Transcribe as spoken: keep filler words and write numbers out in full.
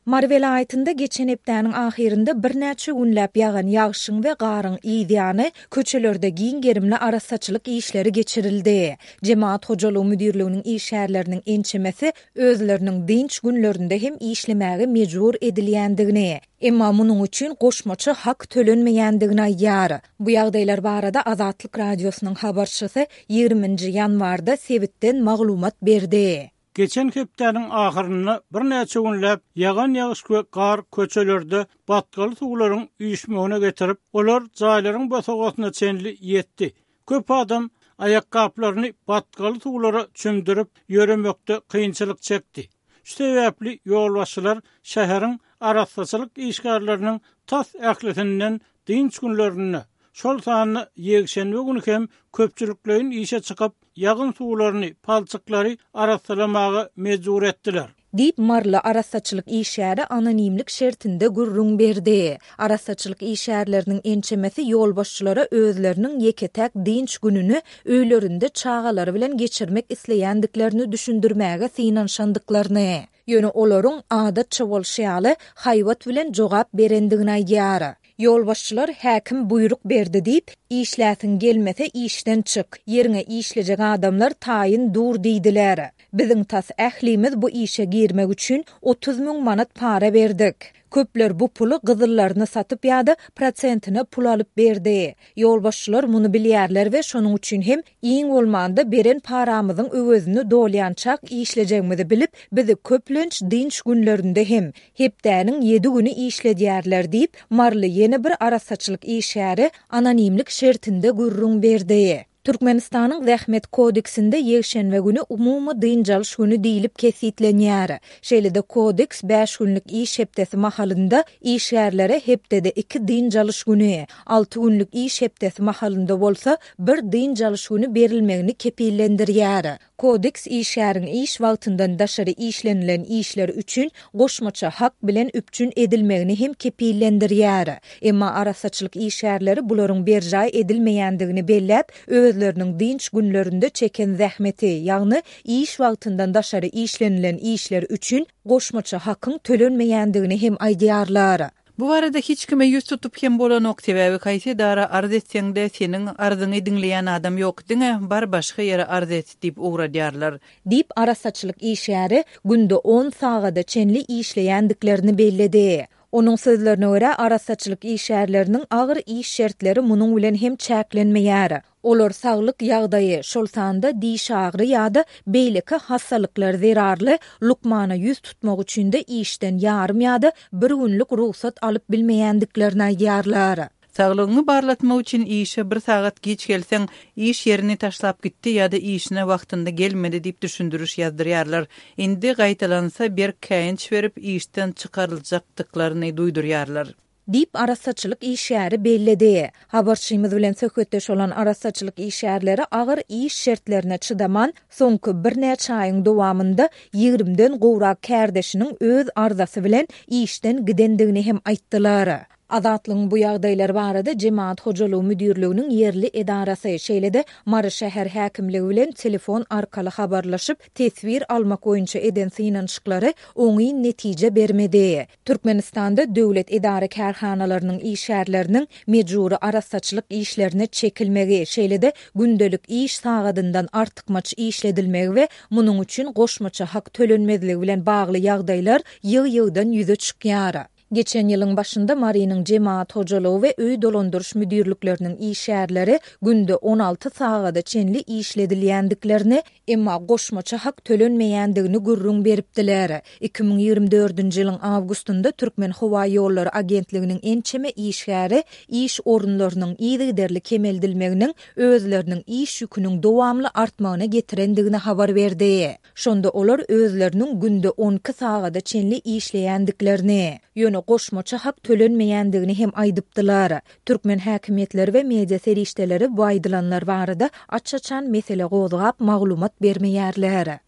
Mary welaýatynda geçen hepdäniň ahyrynda birnäçe günläp ýagan ýagşyň we garyň yz ýany köçelerde giň gerimli arassaçylyk işleri geçirildi. Jemagat hojalygy müdirliginiň işgärleriniň ençemesi özleriniň dynç günlerinde hem işlemäge mejbur edilýändigini, emma munuň üçin goşmaça hak tölenmeýändigini aýdýar. Bu ýagdaýlar barada Azatlyk Radiosynyň habarçysy ýigriminji ýanwarda sebitden maglumat berdi. Geçen hepdäniň ahyrynda birnäçe günläp ýagan ýagyş we gar köçelerde batgaly suwlaryň üýşmegine getirip, olar jaýlaryň bosagasyna çenli ýetdi. Köp adam aýakgaplaryny batgaly suwlara çümdürip, ýöremekde kynçylyk çekdi. Şu sebäpli ýolbaşçylar şäheriň arassaçylyk işgärleriniň tas ählisinden dynç günlerinde, şol sanda ýekşenbe güni hem köpçülikleýin işe çykyp, ýagyn suwlaryny, palçyklary arassalamaga mejbur etdiler. Diýip, maryly arassaçylyk işgäri anonimlik şertinde gürrüň berdi. Arassaçylyk işgärleriniň ençemesi ýolbaşçylara özleriniň ýeke-täk dynç gününi öýlerinde çagalary bilen geçirmek isleýändiklerini düşündirmäge synanyşandyklaryny, ýöne olaryň adatça bolşy ýaly haýbat bilen jogap berendigini aýdýar. Ýolbaşçylar häkim buýruk berdi diýip, işläsiň gelmese işden çyk, ýeriňe işlejek adamlar taýyn dur diýdiler. Biziň tas ählimiz bu işe girmek üçin otuz müň manat para berdik. Köpler bu puly gyzyllaryny satyp ýa-da prosentine pul alyp berdi. Ýolbaşçylar muny bilýärler we şonuň üçin hem iň bolmanda beren paramyzyň öwezini dolýançak işlejegimizi bilip, bizi köplenç dynç günlerinde hem hepdäniň ýedi güni işledýärler diýip, maryly ýene bir arassaçylyk işgäri anonimlik şertinde gürrüň berdi. Türkmenistanyň Zähmet kodeksinde ýekşenbe güni umumy dynç alyş güni diýlip kesgitlenýär. Şeýle-de kodeks bäş günlük iş hepdesi mahalynda işgärlere hepdede iki dynç alyş güni, alty günlük iş hepdesi mahalynda bolsa bir dynç alyş güni berilmegini kepillendirýär. Kodeks işgäriň iş wagtyndan daşary işlenilen işler üçin goşmaça hak bilen üpjün edilmegini hem kepillendirýär. Emma arassaçylyk işgärleri bularyň berjaý edilmeýändigini belläp, özleriniň dynç günlerinde çeken zähmeti, ýagny iş wagtyndan daşary işlenilen işler üçin goşmaça hakyň tölenmeýändigini hem aýdýarlar. Bu barada hiç kime ýüz tutup hem bolanok, sebäbi haýsy edara arz etseň-de seniň arzyňy diňleýän adam ýok, diňe bar başga ýere arz et diýip ugradýarlar. Diýip, arassaçylyk işgäri günde on sagada çenli işleýändiklerini belledi. Onuň sözlerine görä, arassaçylyk işgärleriniň agyr iş şertleri munuň bilen hem çäklenmeýär. Olar saglyk ýagdaýy, şol sanda diş agry ýa-da beýleki hassalyklar zerarly lukmana ýüz tutmak üçin de işden ýarym ýa-da bir günlük rugsat alyp bilmeýändiklerini aýdýarlar. Saglygyňy barlatmak üçin işe bir sagat geç gelseň, iş ýerini taşlap gitdi ýa-da işine wagtynda gelmedi diýip düşündiriş ýazdyrýarlar. Indi gaýtalansa berk käýinç berip işden çykaryljakdyklaryny duýdurýarlar. Diýip, arassaçylyk işgäri belledi. Habarçymyz bilen söhbetdeş bolan arassaçylyk işgärleri agyr iş şertlerine çydaman, soňky birnäçe aýyň dowamynda ýigrimden gowrak kärdeşiniň öz arzasy bilen işden gidendigini hem aýtdylar. Azatlygyň bu ýagdaýlar barada Jemagat hojalygy müdirliginiň ýerli edarasy, şeýle-de Mary şäher häkimligi bilen telefon arkaly habarlaşyp, teswir almak boýunça eden synanyşyklary oňyn netije bermedi. Türkmenistanda döwlet edara kärhanalarynyň işgärleriniň mejbury arassaçylyk işlerine çekilmegi, şeýle-de gündelik iş sagadyndan artykmaç işledilmegi we munuň üçin goşmaça hak tölenmezligi bilen bagly ýagdaýlar ýygy-ýygydan ýüze çykýar. Geçen ýylyň başynda Marynyň Jemagat hojalygy we öý dolandyryş müdirlikleriniň işgärleri günde on alty sagada çenli işledilýändiklerini, emma goşmaça hak tölenmeýändigini gürrüň beripdiler. Iki müň ýigrimi dördünji ýylyň awgustynda Türkmen howa ýollary agentliginiň ençeme işgäri iş orunlarynyň yzygiderli kemeldilmeginiň özleriniň iş ýüküniň dowamly artmagyna getirendigini habar berdi. Şonda olar özleriniň günde on iki sagada çenli işleýändiklerini, ýöne goşmaça hak tölenmeýändigini hem aýdypdylar. Türkmen häkimiýetleri we media serişdeleri bu aýdylanlar barada aç-açan mesele gozgap maglumat bermeýärler.